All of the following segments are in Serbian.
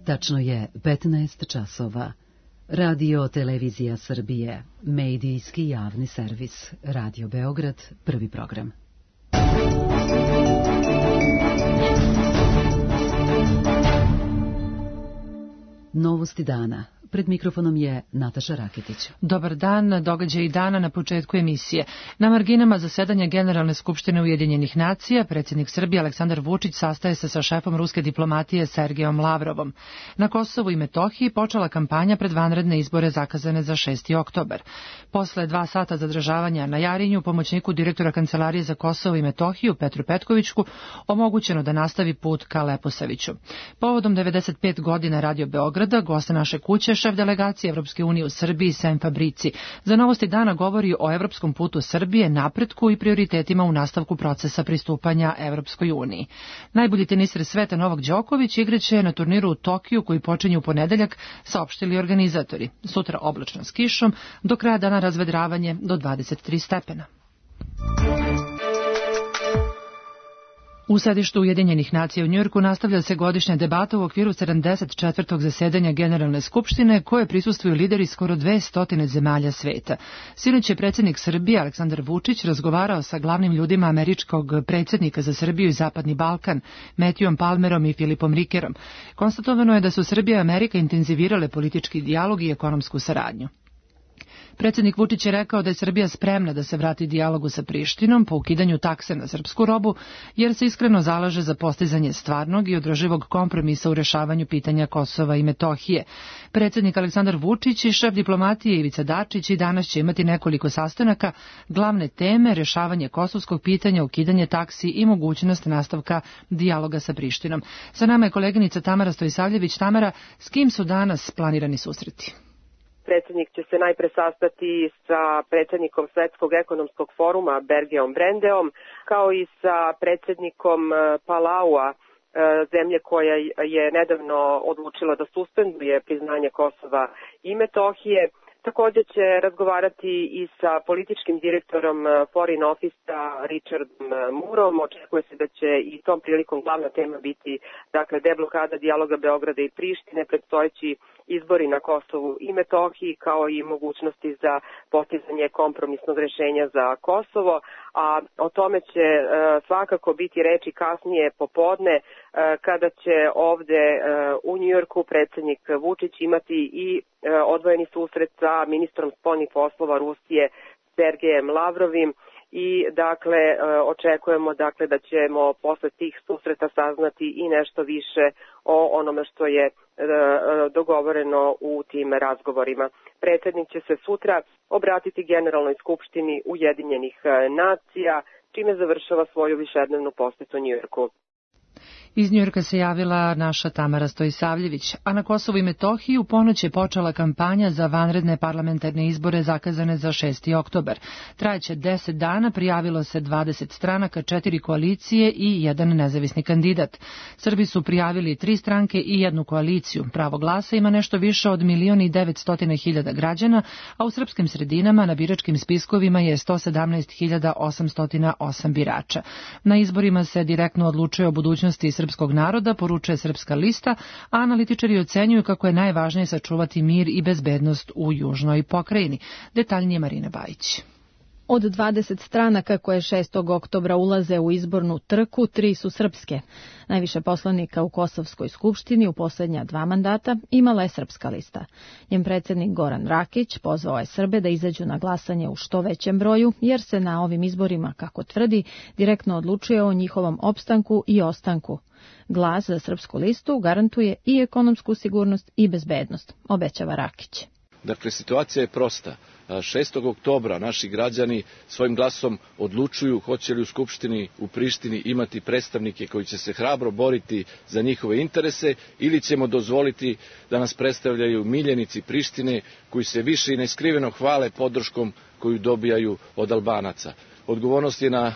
Tačno je 15 časova. Radio Televizija Srbije, medijski javni servis, Radio Beograd, prvi program. Novosti dana. Pred mikrofonom je Nataša Raketić. Dobar dan, događaji dana na početku emisije. Na marginama zasedanja Generalne skupštine Ujedinjenih nacija, predsjednik Srbije Aleksandar Vučić sastaje se sa šefom ruske diplomatije Sergejom Lavrovom. Na Kosovu i Metohiji počela kampanja pred vanredne izbore zakazane za 6. oktobar. Posle 2 sata zadržavanja na Jarinju, pomoćniku direktora Kancelarije za Kosovo i Metohiju Petru Petkovićku omogućeno da nastavi put ka Leposaviću. Povodom 95 godina Radio Beograda, goste naše kuće, šef delegacije Evropske unije u Srbiji Sem Fabrici za Novosti dana govori o evropskom putu Srbije, napretku i prioritetima u nastavku procesa pristupanja Evropskoj uniji. Najbolji teniser sveta Novak Đoković igraće na turniru u Tokiju koji počinje u ponedeljak, saopštili organizatori. Sutra oblačno s kišom, do kraja dana razvedravanje do 23 stepena. U sedištu Ujedinjenih nacija u Njujorku nastavlja se godišnja debata u okviru 74. zasedanja Generalne skupštine koje prisustvuju lideri skoro 200 zemalja sveta. Sinoć je predsjednik Srbije Aleksandar Vučić razgovarao sa glavnim ljudima američkog predsjednika za Srbiju i Zapadni Balkan, Matthewom Palmerom i Filipom Rickerom. Konstatovano je da su Srbija i Amerika intenzivirale politički dijalog i ekonomsku saradnju. Predsjednik Vučić je rekao da je Srbija spremna da se vrati dijalogu sa Prištinom po ukidanju takse na srpsku robu, jer se iskreno zalaže za postizanje stvarnog i održivog kompromisa u rešavanju pitanja Kosova i Metohije. Predsjednik Aleksandar Vučić i šef diplomatije Ivica Dačić i danas će imati nekoliko sastanaka, glavne teme, rešavanje kosovskog pitanja, ukidanje taksi i mogućnost nastavka dijaloga sa Prištinom. Sa nama je koleginica Tamara Stojsavljević. Tamara, s kim su danas planirani susreti? Predsjednik će se najpre sastati sa predsjednikom Svetskog ekonomskog foruma Bergeom Brendeom, kao i sa predsjednikom Palaua, zemlje koja je nedavno odlučila da suspenduje priznanje Kosova i Metohije. Također će razgovarati i sa političkim direktorom Foreign Office-a Richardom Moorom. Očekuje se da će i tom prilikom glavna tema biti deblokada dijaloga Beograda i Prištine, predstojeći izbori na Kosovu i Metohiji, kao i mogućnosti za postizanje kompromisnog rješenja za Kosovo, a o tome će svakako biti reči kasnije popodne, kada će ovde u Njujorku predsjednik Vučić imati i odvojeni susret sa ministrom spoljnih poslova Rusije Sergejem Lavrovim i očekujemo da ćemo posle tih susreta saznati i nešto više o onome što je dogovoreno u tim razgovorima. Predsjednik će se sutra obratiti Generalnoj skupštini Ujedinjenih nacija, čime završava svoju višednevnu posetu Njujorku. Iz Njujorka se javila naša Tamara Stojsavljević, a na Kosovu i Metohiji u ponoć je počela kampanja za vanredne parlamentarne izbore zakazane za 6. oktobar. Trajeće 10 dana, prijavilo se 20 stranaka, 4 koalicije i 1 nezavisni kandidat. Srbi su prijavili 3 stranke i 1 koaliciju. Pravo glasa ima nešto više od 1.900.000 građana, a u srpskim sredinama na biračkim spiskovima je 117.808 birača. Na izborima se direktno odlučuje o budućnosti srpskog naroda, poručuje Srpska lista, a analitičari ocenjuju kako je najvažnije sačuvati mir i bezbednost u južnoj pokrajini. Detaljnije Marina Bajić. Od 20 stranaka koje 6. oktobra ulaze u izbornu trku, 3 su srpske. Najviše poslanika u Kosovskoj skupštini u posljednja 2 mandata imala je Srpska lista. Njen predsjednik Goran Rakić pozvao je Srbe da izađu na glasanje u što većem broju, jer se na ovim izborima, kako tvrdi, direktno odlučuje o njihovom opstanku i ostanku. Glas za Srpsku listu garantuje i ekonomsku sigurnost i bezbednost, obećava Rakić. Dakle, situacija je prosta. 6. oktobra naši građani svojim glasom odlučuju hoće li u Skupštini u Prištini imati predstavnike koji će se hrabro boriti za njihove interese ili ćemo dozvoliti da nas predstavljaju miljenici Prištine koji se više i neskriveno hvale podrškom koju dobijaju od Albanaca. Odgovornost je na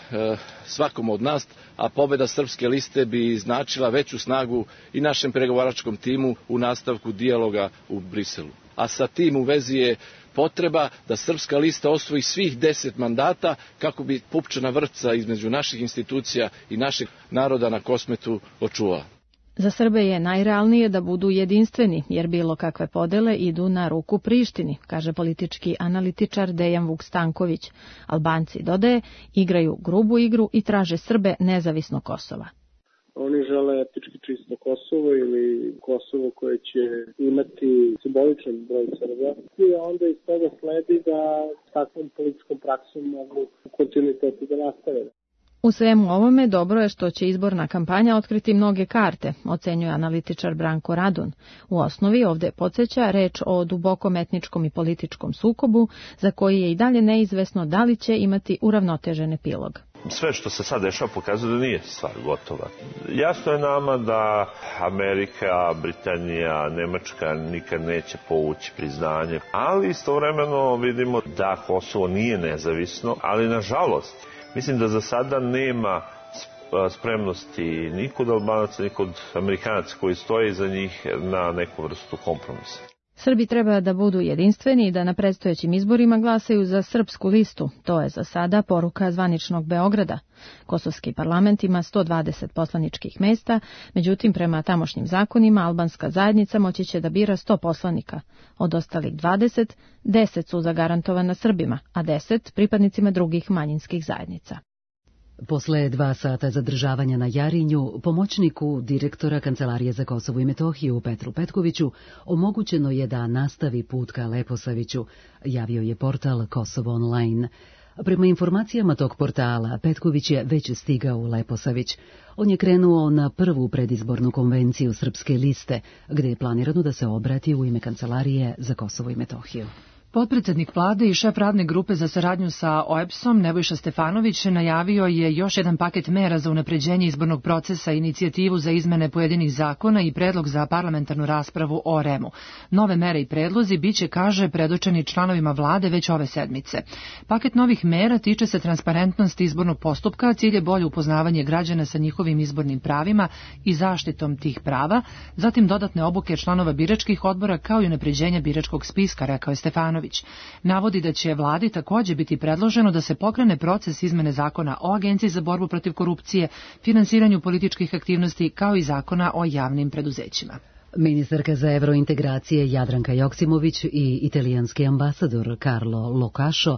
svakom od nas, a pobjeda Srpske liste bi značila veću snagu i našem pregovaračkom timu u nastavku dijaloga u Briselu. A sa tim u vezi je potreba da Srpska lista osvoji svih 10 mandata kako bi pupčana vrpca između naših institucija i našeg naroda na Kosmetu očuvala. Za Srbe je najrealnije da budu jedinstveni, jer bilo kakve podele idu na ruku Prištini, kaže politički analitičar Dejan Vuk-Stanković. Albanci, dodaje, igraju grubu igru i traže Srbe nezavisno Kosova. Oni žele etnički čisto Kosovo ili Kosovo koje će imati simboličan broj Srba i onda iz toga sledi da takvom političkom praksom mogu u kontinuitetu da nastave. U svemu ovome dobro je što će izborna kampanja otkriti mnoge karte, ocenjuje analitičar Branko Radun. U osnovi ovde podsjeća reč o dubokom etničkom i političkom sukobu, za koji je i dalje neizvesno da li će imati uravnotežen epilog. Sve što se sad dešava pokazuje da nije stvar gotova. Jasno je nama da Amerika, Britanija, Nemačka nikad neće povući priznanje, ali istovremeno vidimo da Kosovo nije nezavisno, ali nažalost mislim da za sada nema spremnosti ni kod Albanaca, ni kod Amerikanaca koji stoje iza njih na neku vrstu kompromisa. Srbi treba da budu jedinstveni i da na predstojećim izborima glasaju za srpsku listu. To je za sada poruka zvaničnog Beograda. Kosovski parlament ima 120 poslaničkih mesta, međutim prema tamošnjim zakonima albanska zajednica moći će da bira 100 poslanika. Od ostalih 20, 10 su zagarantovana Srbima, a 10 pripadnicima drugih manjinskih zajednica. Posle 2 sata zadržavanja na Jarinju, pomoćniku direktora Kancelarije za Kosovo i Metohiju Petru Petkoviću omogućeno je da nastavi put ka Leposaviću, javio je portal Kosovo Online. Prema informacijama tog portala, Petković je već stigao u Leposavić. On je krenuo na prvu predizbornu konvenciju Srpske liste, gde je planirano da se obrati u ime Kancelarije za Kosovo i Metohiju. Potpredsednik vlade i šef radne grupe za saradnju sa OEBS-om Nebojša Stefanović najavio je još jedan paket mera za unapređenje izbornog procesa, inicijativu za izmene pojedinih zakona i predlog za parlamentarnu raspravu o REM-u. Nove mere i predlozi biće, kaže, predočeni članovima vlade već ove sedmice. Paket novih mera tiče se transparentnosti izbornog postupka, cilj je bolje upoznavanje građana sa njihovim izbornim pravima i zaštitom tih prava, zatim dodatne obuke članova biračkih odbora kao i unapređenje biračkog spiska, rekao je Stefanović. Navodi da će vladi također biti predloženo da se pokrene proces izmene zakona o Agenciji za borbu protiv korupcije, finansiranju političkih aktivnosti kao i zakona o javnim preduzećima. Ministarka za evrointegracije Jadranka Joksimović i italijanski ambasador Carlo Locašo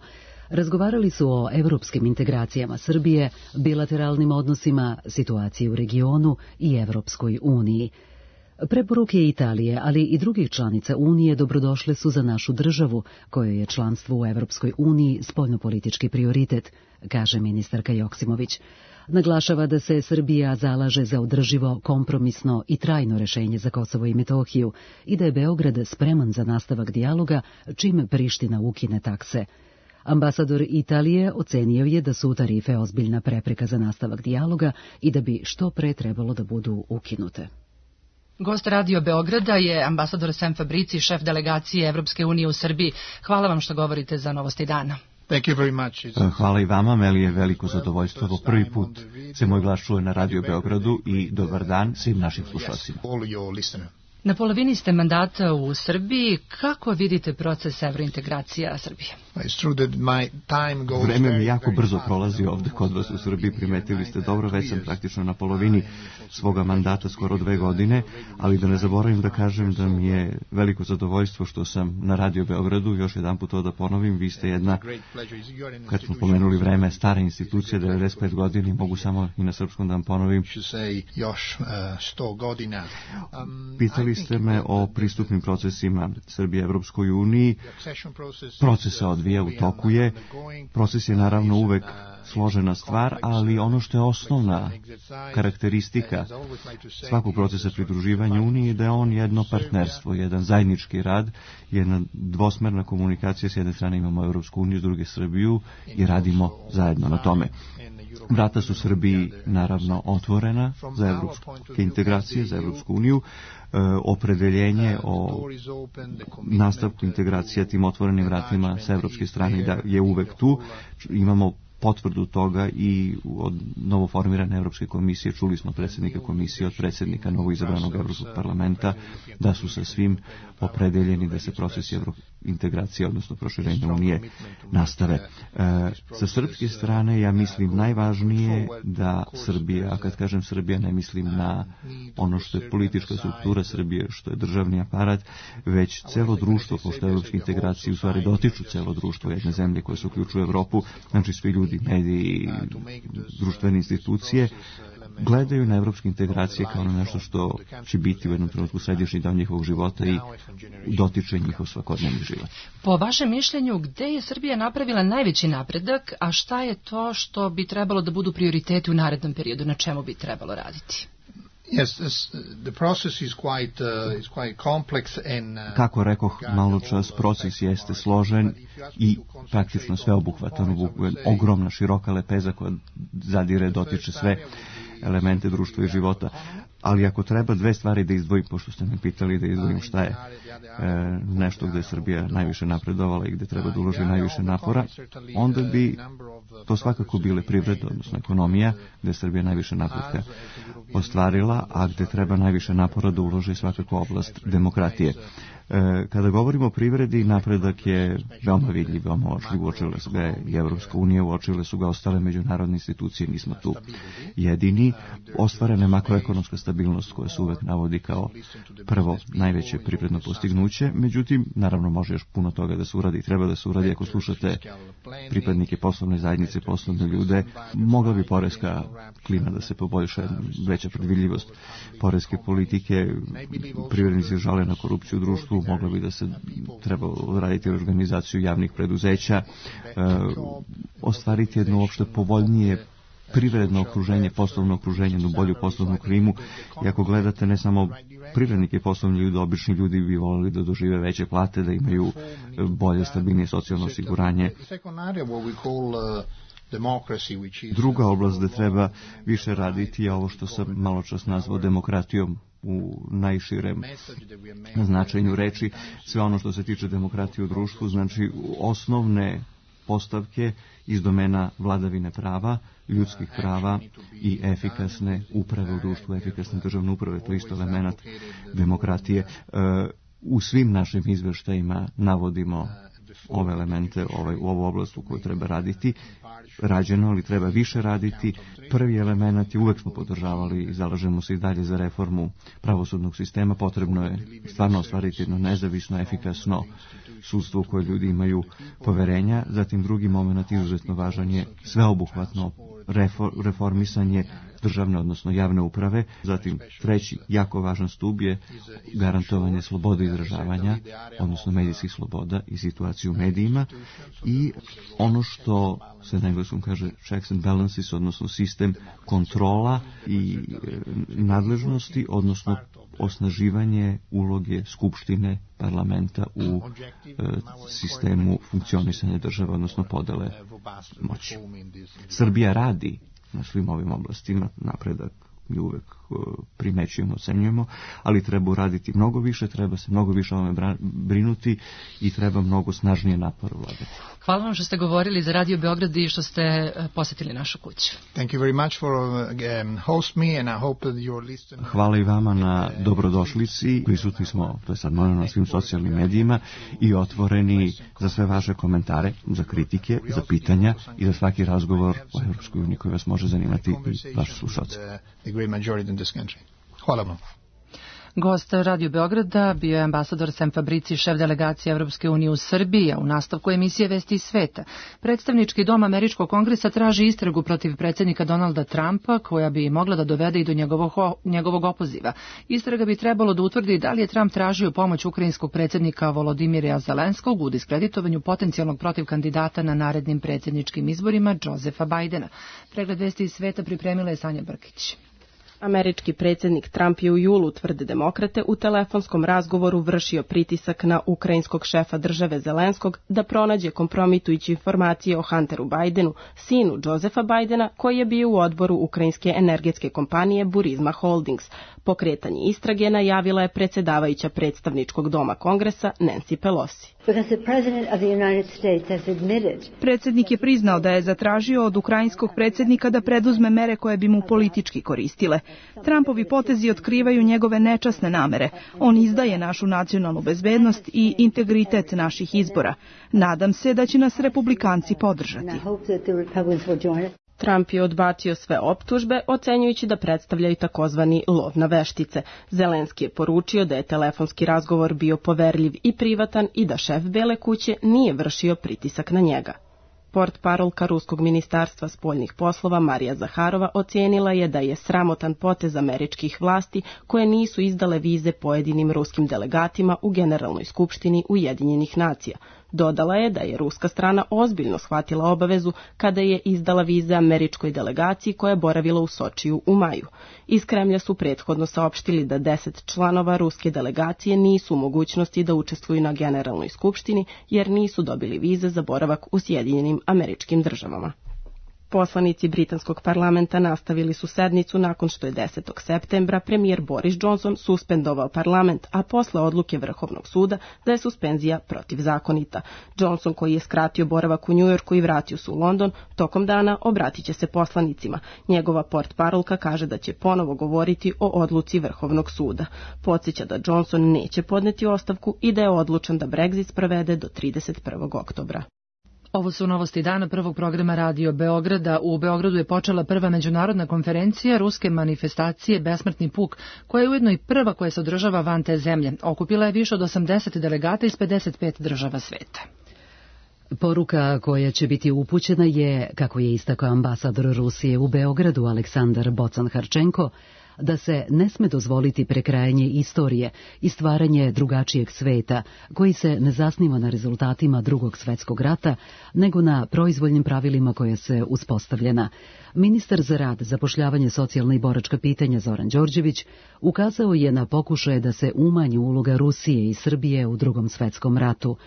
razgovarali su o evropskim integracijama Srbije, bilateralnim odnosima, situaciji u regionu i Evropskoj uniji. Preporuke Italije, ali i drugih članica Unije dobrodošle su za našu državu, kojoj je članstvo u Evropskoj uniji spoljnopolitički prioritet, kaže ministarka Joksimović. Naglašava da se Srbija zalaže za održivo, kompromisno i trajno rešenje za Kosovo i Metohiju i da je Beograd spreman za nastavak dijaloga čim Priština ukine takse. Ambasador Italije ocenio je da su tarife ozbiljna prepreka za nastavak dijaloga i da bi što pre trebalo da budu ukinute. Gost Radio Beograda je ambasador Sem Fabrici, šef delegacije Evropske unije u Srbiji. Hvala vam što govorite za Novosti dana. Hvala i vama, meni je veliko zadovoljstvo. Ovo prvi put se moj glas čuje na Radio Beogradu i dobar dan svim našim slušalcima. Na polovini ste mandata u Srbiji. Kako vidite proces evrointegracija Srbije? Vreme mi jako brzo prolazi ovde kod vas u Srbiji, primetili ste dobro, već sam praktično na polovini svoga mandata, skoro 2 godine, ali da ne zaboravim da kažem da mi je veliko zadovoljstvo što sam na Radio Beogradu, još jedan put to da ponovim, vi ste jedna, kad smo pomenuli vreme, stara institucija, 95 godina, mogu samo i na srpskom da vam ponovim. Pitali ste me o pristupnim procesima Srbije Evropskoj uniji. Proces se odvija, u toku je. Proces je naravno uvek složena stvar, ali ono što je osnovna karakteristika svakog procesa pridruživanja Uniji je da je on jedno partnerstvo, jedan zajednički rad, jedna dvosmerna komunikacija. S jedne strane imamo Evropsku uniju, s druge Srbiju i radimo zajedno na tome. Vrata su Srbiji naravno otvorena za evropske integracije, za Evropsku uniju. Opredeljenje o nastavku integracija tim otvorenim vratima sa evropske strane da je uvek tu. Imamo potvrdu toga i od novoformirane Evropske komisije, čuli smo predsjednika komisije od predsjednika novoizabranog Evropskog parlamenta, da su sa svim opredeljeni da se procesi integracije, odnosno proširenja Unije, nastave. Sa srpske strane, ja mislim, najvažnije da Srbija, a kad kažem Srbija, ne mislim na ono što je politička struktura Srbije, što je državni aparat, već celo društvo, pošto evropske integracije u stvari dotiču celo društvo jedne zemlje koje se uključuju u Evropu, znači svi ljudi, mediji, društvene institucije, gledaju na evropske integracije kao na nešto što će biti u jednom trenutku središnji deo njihovog života i dotiče njihov svakodnevni život. Po vašem mišljenju, gde je Srbija napravila najveći napredak, a šta je to što bi trebalo da budu prioriteti u narednom periodu, na čemu bi trebalo raditi? Kako rekoh malo čas, proces jeste složen i praktično sveobuhvatan, ogromna, široka lepeza koja zadire, dotiče sve elemente društva i života. Ali ako treba dve stvari da izdvojim, pošto ste me pitali da izdvojim šta je nešto gde je Srbija najviše napredovala i gde treba da uloži najviše napora, onda bi to svakako bile privreda, odnosno ekonomija, gde je Srbija najviše napretka ostvarila, a gde treba najviše napora da uloži svakako oblast demokratije. Kada govorimo o privredi, napredak je veoma vidljiv, veoma uočljiv, uočile su ga i Evropska unija, uočile su ga ostale međunarodne institucije, nismo tu jedini. Ostvarena je makroekonomska stabilnost koja se uvek navodi kao prvo najveće privredno postignuće, međutim, naravno može još puno toga da se uradi i treba da se uradi. Ako slušate pripadnike poslovne zajednice, poslovne ljude, mogla bi poreska klima da se poboljša, veća predvidljivost poreske politike, privrednici žale na korupciju u društvu, mogla bi da se treba raditi organizaciju javnih preduzeća, ostvariti jedno uopšte povoljnije privredno okruženje, poslovno okruženje, jednu bolju poslovnu klimu. I ako gledate ne samo privrednike i poslovni ljudi, obični ljudi bi volili da dožive veće plate, da imaju bolje, stabilnije socijalno osiguranje. Druga oblast gde treba više raditi je ovo što sam malo čas nazvao demokratijom u najširem značenju reči. Sve ono što se tiče demokratije u društvu, znači osnovne postavke iz domena vladavine prava, ljudskih prava i efikasne uprave u društvu, efikasne državne uprave, to je isto element demokratije. U svim našim izveštajima navodimo ove elemente, u ovu oblast u kojoj treba raditi, rađeno, ali treba više raditi. Prvi element je, uvek smo podržavali i zalažemo se i dalje za reformu pravosudnog sistema, potrebno je stvarno ostvariti jedno nezavisno, efikasno sudstvo u koje ljudi imaju poverenja. Zatim drugi moment izuzetno važan je sveobuhvatno reformisanje državne, odnosno javne uprave. Zatim treći jako važan stub je garantovanje slobode izražavanja, odnosno medijskih sloboda i situaciju u medijima, i ono što se na engleskom kaže checks and balances, odnosno sistem kontrola i nadležnosti, odnosno osnaživanje uloge Skupštine, parlamenta u sistemu funkcionisanja države, odnosno podele moći. Srbija radi na svim ovim oblastima, napredak mi uvek primećujemo, ocenjujemo, ali treba uraditi mnogo više, treba se mnogo više o ovome brinuti i treba mnogo snažnije napor vladati. Hvala vam što ste govorili za Radio Beograd i što ste posetili našu kuću. Thank you very much for host me and I hope that you're listening. Hvala i vama na dobrodošlici. Prisutni smo, to je sad na svim socijalnim medijima i otvoreni za sve vaše komentare, za kritike, za pitanja i za svaki razgovor o Evropskoj uniji koji vas može zanimati i vaši slušalci. Hvala vam. Gost Radio Beograda bio je ambasador Sem Fabrici, šef delegacije Evropske unije u Srbiji, a u nastavku emisije Vesti iz sveta. Predstavnički dom Američkog kongresa traži istragu protiv predsjednika Donalda Trumpa, koja bi mogla da dovede i do njegovog opoziva. Istraga bi trebalo da utvrdi da li je Trump tražio pomoć ukrajinskog predsjednika Volodimira Zelenskog u diskreditovanju potencijalnog protivkandidata na narednim predsjedničkim izborima Josefa Bajdena. Pregled Vesti iz sveta pripremila je Sanja Brkić. Američki predsjednik Trump je u julu, tvrde demokrate, u telefonskom razgovoru vršio pritisak na ukrajinskog šefa države Zelenskog da pronađe kompromitujuće informacije o Hunteru Bidenu, sinu Josefa Bidena, koji je bio u odboru ukrajinske energetske kompanije Burisma Holdings. Pokretanje istrage najavila je predsjedavajuća predstavničkog doma Kongresa Nancy Pelosi. Predsjednik je priznao da je zatražio od ukrajinskog predsjednika da preduzme mere koje bi mu politički koristile. Trumpovi potezi otkrivaju njegove nečasne namere. On izdaje našu nacionalnu bezbednost i integritet naših izbora. Nadam se da će nas republikanci podržati. Trump je odbacio sve optužbe, ocenjujući da predstavljaju takozvani lov na veštice. Zelenski je poručio da je telefonski razgovor bio poverljiv i privatan i da šef Bele kuće nije vršio pritisak na njega. Portparolka Ruskog ministarstva spoljnih poslova Marija Zaharova ocijenila je da je sramotan potez američkih vlasti koje nisu izdale vize pojedinim ruskim delegatima u Generalnoj skupštini Ujedinjenih nacija. Dodala je da je ruska strana ozbiljno shvatila obavezu kada je izdala vize američkoj delegaciji koja je boravila u Sočiju u maju. Iz Kremlja su prethodno saopštili da 10 članova ruske delegacije nisu u mogućnosti da učestvuju na Generalnoj skupštini jer nisu dobili vize za boravak u Sjedinjenim Američkim Državama. Poslanici britanskog parlamenta nastavili su sednicu nakon što je 10. septembra premijer Boris Johnson suspendovao parlament, a posle odluke Vrhovnog suda da je suspenzija protivzakonita. Johnson, koji je skratio boravak u Njujorku i vratio se u London, tokom dana obratit će se poslanicima. Njegova portparolka kaže da će ponovo govoriti o odluci Vrhovnog suda. Podsjeća da Johnson neće podneti ostavku i da je odlučan da Brexit sprovede do 31. oktobra. Ovo su novosti dana prvog programa Radio Beograda. U Beogradu je počela prva međunarodna konferencija ruske manifestacije Besmrtni puk, koja je ujedno i prva koja se održava van te zemlje. Okupila je više od 80 delegata iz 55 država sveta. Poruka koja će biti upućena je, kako je istakao ambasador Rusije u Beogradu Aleksandar Bocan-Harčenko, da se ne sme dozvoliti prekrajanje istorije i stvaranje drugačijeg sveta, koji se ne zasniva na rezultatima Drugog svjetskog rata, nego na proizvoljnim pravilima koja se uspostavljena. Ministar za rad, zapošljavanje, socijalna i boračka pitanja Zoran Đorđević ukazao je na pokušaje da se umanji uloga Rusije i Srbije u Drugom svjetskom ratu.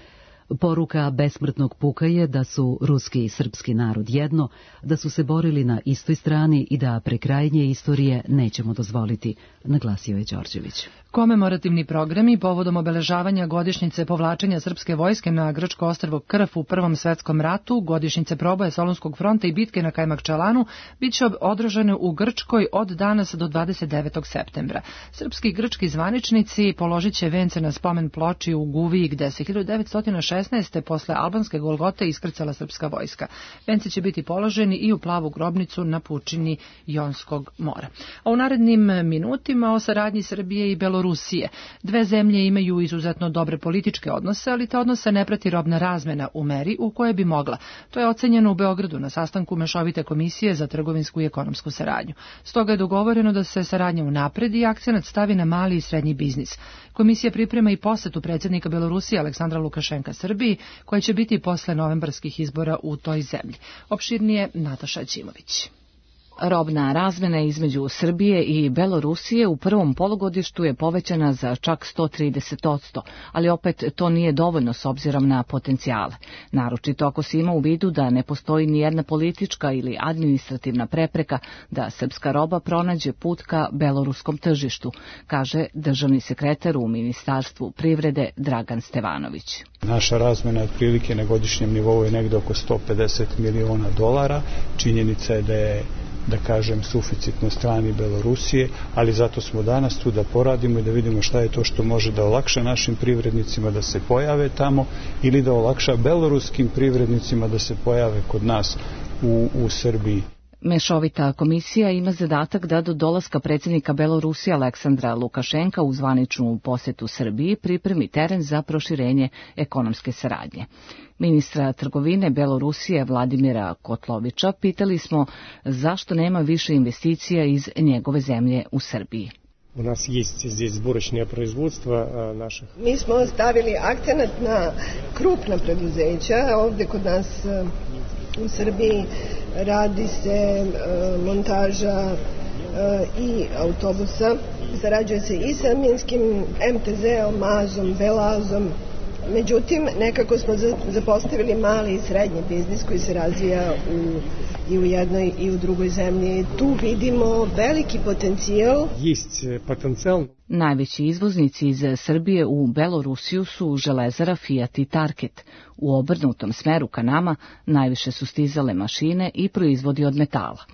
Poruka besmrtnog puka je da su ruski i srpski narod jedno, da su se borili na istoj strani i da prekrajanje istorije nećemo dozvoliti, naglasio je Đorđević. Komemorativni programi povodom obeležavanja godišnjice povlačenja srpske vojske na grčko ostrvo Krf u Prvom svetskom ratu, godišnjice proboja Solunskog fronta i bitke na Kajmakčalanu bit će održane u Grčkoj od danas do 29. septembra. Srpski i grčki zvaničnici položit će vence na spomen ploči u Guviji, gde se 1916. posle albanske Golgote iskrcala srpska vojska. Vence će biti položeni i u plavu grobnicu na pučini Jonskog mora. A u narednim minutima o saradnji Srbije i Belorusije. Dve zemlje imaju izuzetno dobre političke odnose, ali te odnose ne prati robna razmena u meri u kojoj bi mogla. To je ocenjeno u Beogradu na sastanku Mešovite komisije za trgovinsku i ekonomsku saradnju. Stoga je dogovoreno da se saradnja unapredi i akcenat stavi na mali i srednji biznis. Komisija priprema i posetu predsjednika Belorusije Aleksandra Lukašenka Srbiji, koja će biti posle novembarskih izbora u toj zemlji. Opširnije Nataša Ćimović. Robna razmena između Srbije i Belorusije u prvom polugodištu je povećana za čak 130%, ali opet to nije dovoljno s obzirom na potencijale. Naročito ako se ima u vidu da ne postoji ni jedna politička ili administrativna prepreka da srpska roba pronađe put ka beloruskom tržištu, kaže državni sekretar u Ministarstvu privrede Dragan Stevanović. Naša razmena otprilike na godišnjem nivou je negde oko $150 miliona. Činjenica je da kažem, suficit na strani Belorusije, ali zato smo danas tu da poradimo i da vidimo šta je to što može da olakša našim privrednicima da se pojave tamo ili da olakša beloruskim privrednicima da se pojave kod nas u Srbiji. Mešovita komisija ima zadatak da do dolaska predsjednika Belorusije Aleksandra Lukašenka u zvaničnu posetu Srbiji pripremi teren za proširenje ekonomske saradnje. Ministra trgovine Belorusije Vladimira Kotlovića pitali smo zašto nema više investicija iz njegove zemlje u Srbiji. У нас есть здесь сборочное производство наших. Mi smo stavili akcenat na krupna preduzeća. Ovdje kod nas u Srbiji radi se montaža i autobusa. Sarađuje se i sa minskim MTZ-om, Mazom, Belazom. Međutim, nekako smo zapostavili mali i srednji biznis koji se razvija i u jednoj i u drugoj zemlji. Tu vidimo veliki potencijal. Najveći izvoznici iz Srbije u Belorusiju su Železara, Fiat i Tarket. U obrnutom smeru ka nama najviše su stizale mašine i proizvodi od metala.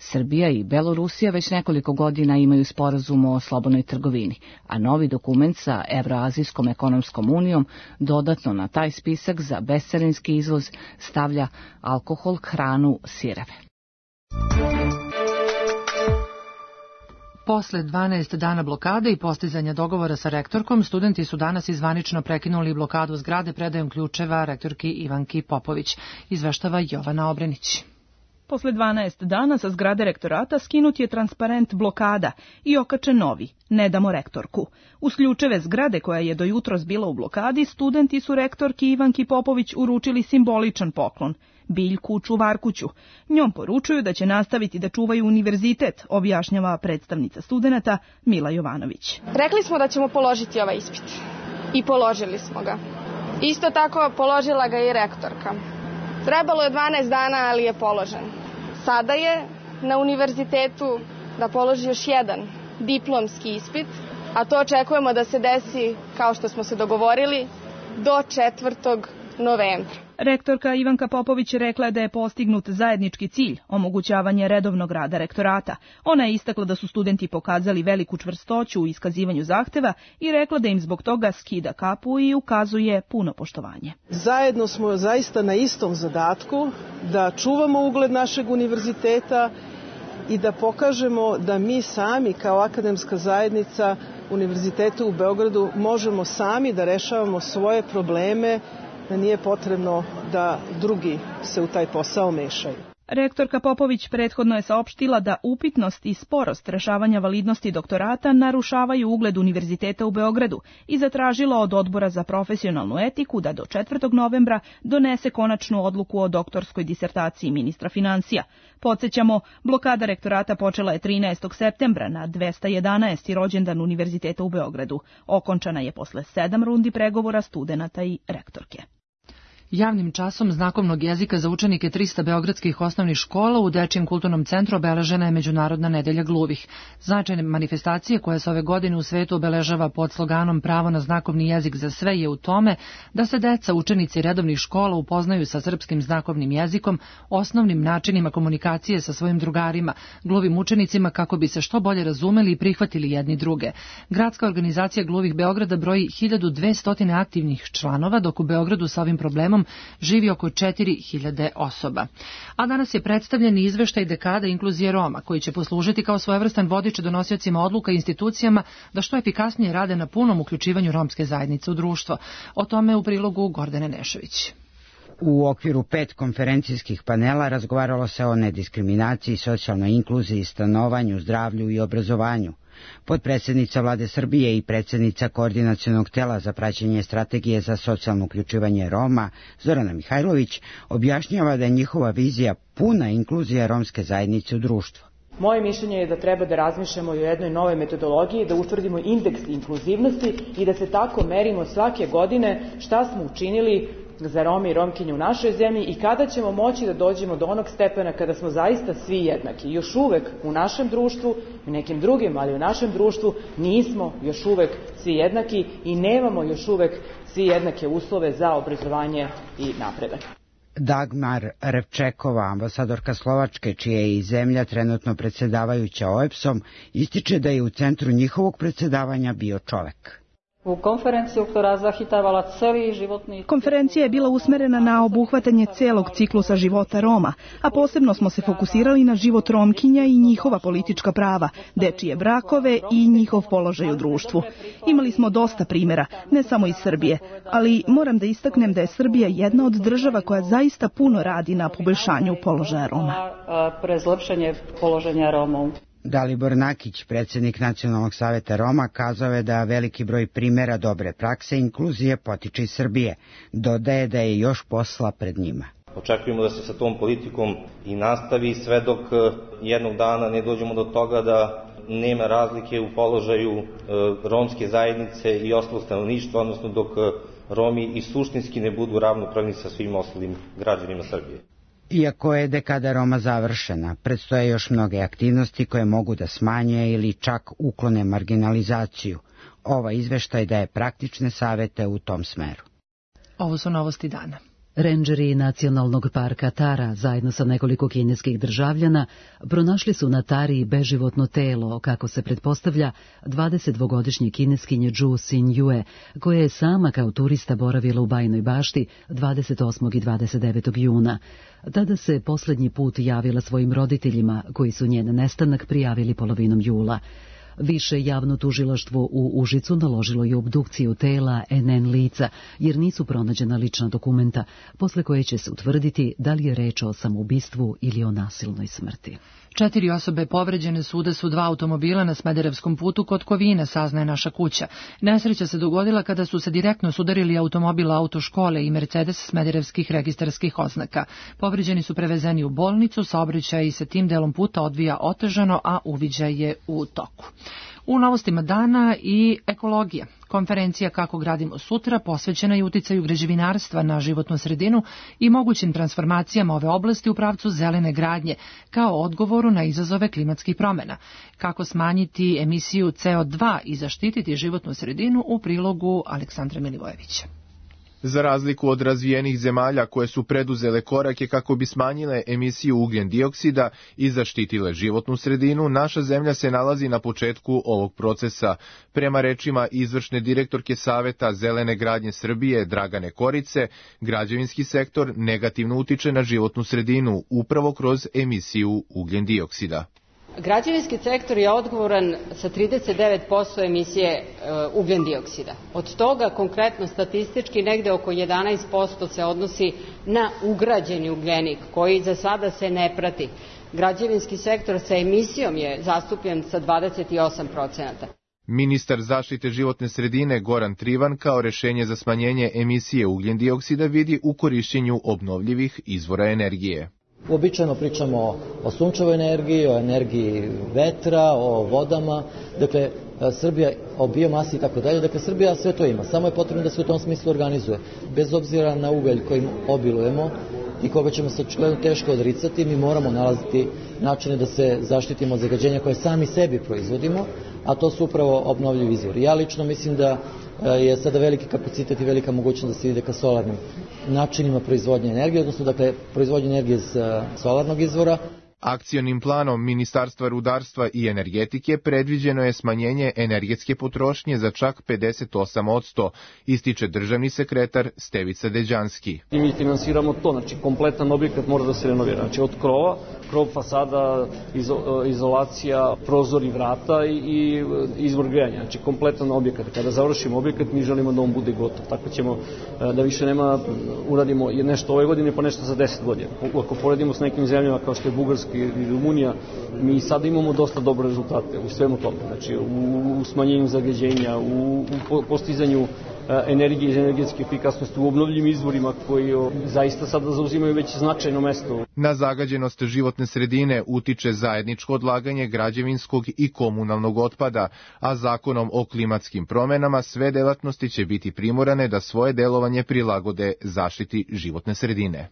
Srbija i Belorusija već nekoliko godina imaju sporazum o slobodnoj trgovini, a novi dokument sa Evroazijskom ekonomskom unijom dodatno na taj spisak za bescarinski izvoz stavlja alkohol, hranu, sireve. Posle 12 dana blokade i postizanja dogovora sa rektorkom, studenti su danas izvanično prekinuli blokadu zgrade predajom ključeva rektorki Ivanki Popović, izveštava Jovana Obrenić. Posle 12 dana sa zgrade rektorata skinut je transparent blokada i okačen novi, ne damo rektorku. Uz ključeve zgrade koja je do jutros bila u blokadi, studenti su rektorki Ivanki Popović uručili simboličan poklon, biljku čuvarkuću. Njom poručuju da će nastaviti da čuvaju univerzitet, objašnjava predstavnica studenata Mila Jovanović. Rekli smo da ćemo položiti ovaj ispit i položili smo ga. Isto tako položila ga i rektorka. Trebalo je 12 dana, ali je položen. Sada je na univerzitetu da položi još jedan diplomski ispit, a to očekujemo da se desi, kao što smo se dogovorili, do 4. novembra. Rektorka Ivanka Popović rekla je da je postignut zajednički cilj, omogućavanje redovnog rada rektorata. Ona je istakla da su studenti pokazali veliku čvrstoću u iskazivanju zahteva i rekla da im zbog toga skida kapu i ukazuje puno poštovanje. Zajedno smo zaista na istom zadatku da čuvamo ugled našeg univerziteta i da pokažemo da mi sami kao akademska zajednica Univerziteta u Beogradu možemo sami da rešavamo svoje probleme, da nije potrebno da drugi se u taj posao mešaju. Rektorka Popović prethodno je saopštila da upitnost i sporost rešavanja validnosti doktorata narušavaju ugled Univerziteta u Beogradu i zatražila od Odbora za profesionalnu etiku da do 4. novembra donese konačnu odluku o doktorskoj disertaciji ministra finansija. Podsjećamo, blokada rektorata počela je 13. septembra na 211. rođendan Univerziteta u Beogradu. Okončana je posle 7 rundi pregovora studenata i rektorke. Javnim časom znakovnog jezika za učenike 300 beogradskih osnovnih škola u Dečijem kulturnom centru obeležena je Međunarodna nedelja gluvih. Značajne manifestacije koja se ove godine u svetu obeležava pod sloganom Pravo na znakovni jezik za sve je u tome da se deca, učenici redovnih škola upoznaju sa srpskim znakovnim jezikom, osnovnim načinima komunikacije sa svojim drugarima, gluvim učenicima kako bi se što bolje razumeli i prihvatili jedni druge. Gradska organizacija gluvih Beograda broji 1200 aktivnih članova, dok u Beogradu sa ovim problemom živi oko 4000 osoba. A danas je predstavljen izveštaj dekada inkluzije Roma, koji će poslužiti kao svojevrstan vodič donosiocima odluka i institucijama da što efikasnije rade na punom uključivanju romske zajednice u društvo. O tome u prilogu Gordane Nešović. U okviru 5 konferencijskih panela razgovaralo se o nediskriminaciji, socijalnoj inkluziji, stanovanju, zdravlju i obrazovanju. Potpredsjednica Vlade Srbije i predsjednica Koordinacionog tela za praćenje strategije za socijalno uključivanje Roma, Zorana Mihajlović, objašnjava da je njihova vizija puna inkluzija romske zajednice u društvu. Moje mišljenje je da treba da razmišljamo o jednoj novoj metodologiji, da utvrdimo indeks inkluzivnosti i da se tako merimo svake godine šta smo učinili za Rome i Romkinje u našoj zemlji i kada ćemo moći da dođemo do onog stepena kada smo zaista svi jednaki. Još uvek u našem društvu, u nekim drugim, ali u našem društvu nismo još uvek svi jednaki i nemamo još uvek svi jednake uslove za obrazovanje i napredak. Dagmar Revčekova, ambasadorka Slovačke, čija je i zemlja trenutno predsjedavajuća OEBS-om, ističe da je u centru njihovog predsjedavanja bio čovek. Konferencija je bila usmerena na obuhvatanje celog ciklusa života Roma, a posebno smo se fokusirali na život Romkinja i njihova politička prava, dečije brakove i njihov položaj u društvu. Imali smo dosta primjera, ne samo iz Srbije, ali moram da istaknem da je Srbija jedna od država koja zaista puno radi na poboljšanju položaja Roma. Dalibor Nakić, predsjednik Nacionalnog saveta Roma, kazao je da veliki broj primjera dobre prakse inkluzije potiče iz Srbije. Dodaje da je još posla pred njima. Očekujemo da se sa tom politikom i nastavi sve dok jednog dana ne dođemo do toga da nema razlike u položaju romske zajednice i ostalog stanovništva, odnosno dok Romi i suštinski ne budu ravnopravni sa svim ostalim građanima Srbije. Iako je dekada Roma završena, predstoje još mnoge aktivnosti koje mogu da smanje ili čak uklone marginalizaciju. Ova izveštaj daje praktične savete u tom smeru. Ovo su novosti dana. Rendžeri nacionalnog parka Tara zajedno sa nekoliko kineskih državljana pronašli su na Tari beživotno telo, kako se pretpostavlja, 22-godišnje kineskinje Zhu Xinjue, koja je sama kao turista boravila u Bajnoj bašti 28. i 29. juna. Tada se posljednji put javila svojim roditeljima, koji su njen nestanak prijavili polovinom jula. Više javno tužilaštvo u Užicu naložilo je obdukciju tela NN lica, jer nisu pronađena lična dokumenta, posle koje će se utvrditi da li je reč o samoubistvu ili o nasilnoj smrti. 4 osobe povređene su u udesu 2 automobila na Smederevskom putu kod Kovina, saznaje Naša kuća. Nesreća se dogodila kada su se direktno sudarili automobil autoškole i Mercedes smederevskih registarskih oznaka. Povređeni su prevezeni u bolnicu, saobraćaj se tim delom puta odvija otežano, a uviđaj je u toku. U novostima dana i ekologija. Konferencija Kako gradimo sutra posvećena je uticaju građevinarstva na životnu sredinu i mogućim transformacijama ove oblasti u pravcu zelene gradnje, kao odgovoru na izazove klimatskih promjena. Kako smanjiti emisiju CO2 i zaštititi životnu sredinu u prilogu Aleksandra Milivojevića. Za razliku od razvijenih zemalja koje su preduzele korake kako bi smanjile emisiju ugljen dioksida i zaštitile životnu sredinu, naša zemlja se nalazi na početku ovog procesa. Prema rečima izvršne direktorke Saveta zelene gradnje Srbije Dragane Korice, građevinski sektor negativno utiče na životnu sredinu upravo kroz emisiju ugljen dioksida. Građevinski sektor je odgovoran sa 39% emisije ugljen dioksida. Od toga konkretno statistički negde oko 11% se odnosi na ugrađeni ugljenik koji za sada se ne prati. Građevinski sektor sa emisijom je zastupljen sa 28%. Ministar zaštite životne sredine Goran Trivan kao rešenje za smanjenje emisije ugljen dioksida vidi u korišćenju obnovljivih izvora energije. Uobičajeno pričamo o sunčevoj energiji, o energiji vetra, o vodama, dakle Srbija, o biomasi i tako dalje, dakle Srbija sve to ima, samo je potrebno da se u tom smislu organizuje. Bez obzira na ugalj kojim obilujemo i koga ćemo se očigledno teško odricati, mi moramo nalaziti načine da se zaštitimo od zagađenja koje sami sebi proizvodimo, a to su upravo obnovljivi izvori. Ja lično mislim da je sada veliki kapacitet i velika mogućnost da se ide ka solarnim načinima proizvodnje energije, odnosno dakle proizvodnje energije iz solarnog izvora. Akcionim planom Ministarstva rudarstva i energetike predviđeno je smanjenje energetske potrošnje za čak 58%, ističe državni sekretar Stevica Deđanski. I mi finansiramo to, znači kompletan objekat mora da se renovira, znači od krova, krov, fasada, izolacija, prozori, vrata i izvor grejanja, znači kompletan objekat. Kada završimo objekat mi želimo da on bude gotov, tako ćemo da više nema, uradimo nešto ove godine pa nešto za 10 godina. Ako poredimo s nekim zemljama kao što je Bugarska i Rumunija, mi sada imamo dosta dobre rezultate u svemu tome, znači u smanjenju zagađenja, u postizanju energije i energetske efikasnosti, u obnovljivim izvorima koji zaista sada zauzimaju već značajno mesto. Na zagađenost životne sredine utiče zajedničko odlaganje građevinskog i komunalnog otpada, a zakonom o klimatskim promenama sve delatnosti će biti primorane da svoje delovanje prilagode zaštiti životne sredine.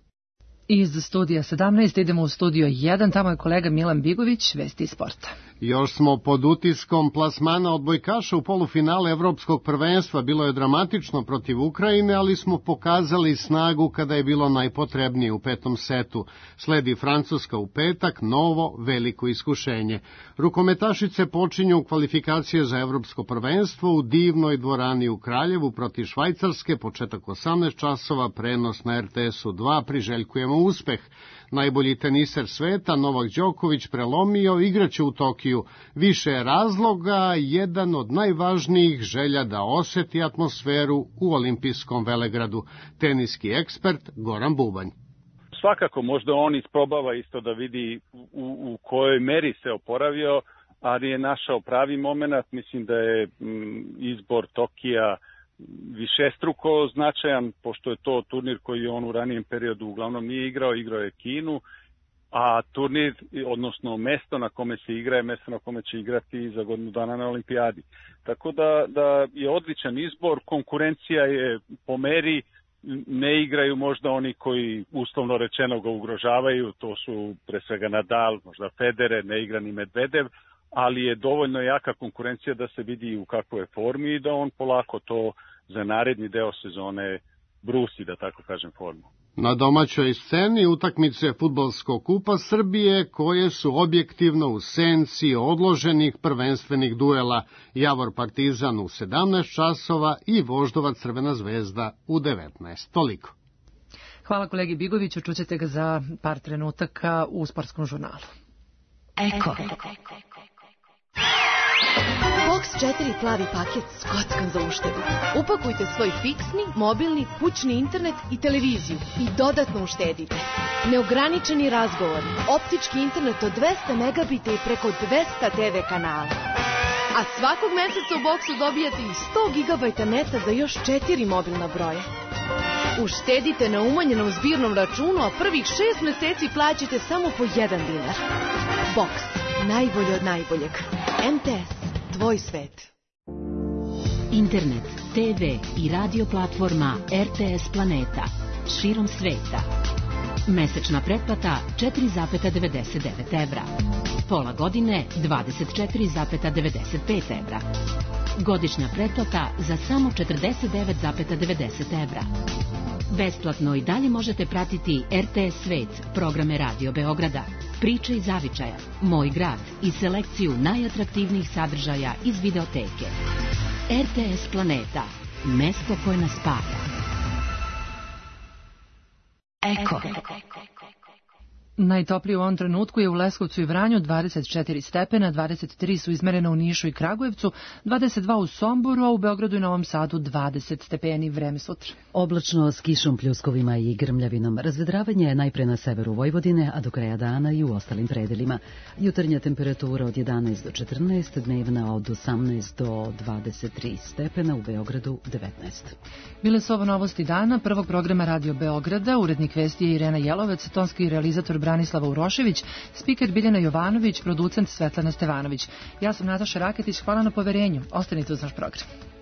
Iz studija 17 idemo u studio 1, tamo je kolega Milan Bigović, vesti sporta. Još smo pod utiskom plasmana odbojkaša u polufinale Evropskog prvenstva. Bilo je dramatično protiv Ukrajine, ali smo pokazali snagu kada je bilo najpotrebnije u 5. setu. Sledi Francuska u petak, novo veliko iskušenje. Rukometašice počinju kvalifikacije za Evropsko prvenstvo u divnoj dvorani u Kraljevu protiv Švajcarske, početak 18 časova, prenos na RTS-u 2, priželjkujemo uspeh. Najbolji teniser sveta, Novak Đoković, prelomio, igraće u Tokiju. Više razloga, jedan od najvažnijih želja da oseti atmosferu u olimpijskom velegradu. Teniski ekspert Goran Bubanj. Svakako možda on isprobava isto da vidi u kojoj meri se oporavio, ali je našao pravi moment. Mislim da je izbor Tokija višestruko značajan, pošto je to turnir koji on u ranijem periodu uglavnom nije igrao je Kinu, a turnir, odnosno mesto na kome se igra je mesto na kome će igrati za godinu dana na olimpijadi. Tako da je odličan izbor, konkurencija je po meri, ne igraju možda oni koji uslovno rečeno ga ugrožavaju, to su pre svega Nadal, možda Federer, ne igra ni Medvedev, ali je dovoljno jaka konkurencija da se vidi u kakvoj je formi i da on polako to za naredni deo sezone brusi, da tako kažem, formu. Na domaćoj sceni utakmice Fudbalskog kupa Srbije koje su objektivno u senci odloženih prvenstvenih duela Javor Partizan u 17 časova i Voždovac Crvena zvezda u 19. Toliko. Hvala kolegi Bigoviću, čućete ga za par trenutaka u sportskom žurnalu. Eko. Box 4 plavi paket s kockom za uštedu. Upakujte svoj fiksni, mobilni, kućni internet i televiziju i dodatno uštedite. Neograničeni razgovor, optički internet od 200 megabita i preko 200 TV kanala. A svakog meseca u Boxu dobijate i 100 gigabajta neta za još 4 mobilna broja. Uštedite na umanjenom zbirnom računu, a prvih 6 meseci plaćate samo po 1 dinar. Box, najbolje od najboljeg. MTS, tvoj svet. Internet, TV i radio platforma RTS Planeta. Širom sveta. Mesečna pretplata 4,99 evra. Pola godine 24,95 evra. Godišnja pretplata za samo 49,90 evra. Besplatno i dalje možete pratiti RTS Svet, programe Radio Beograda, Priče iz zavičaja, Moj grad i selekciju najatraktivnijih sadržaja iz videoteke. RTS Planeta, mesto koje nas spaja. Eko. Najtoplije u ovom trenutku je u Leskovcu i Vranju 24 stepena, 23 su izmerena u Nišu i Kragujevcu, 22 u Somboru, a u Beogradu i Novom Sadu 20 stepeni. Vreme sutra. Oblačno s kišom, pljuskovima i grmljavinom. Razvedravanje je najpre na severu Vojvodine, a do kraja dana i u ostalim predelima. Jutarnja temperatura od 11 do 14, dnevna od 18 do 23 stepena, u Beogradu 19. Bile su ovo novosti dana, prvog programa Radio Beograda, urednik vesti je Irena Jelovec, tonski realizator Branislava Urošević, spiker Biljana Jovanović, producent Svetlana Stevanović. Ja sam Nataša Raketić, hvala na poverenju. Ostanite uz naš program.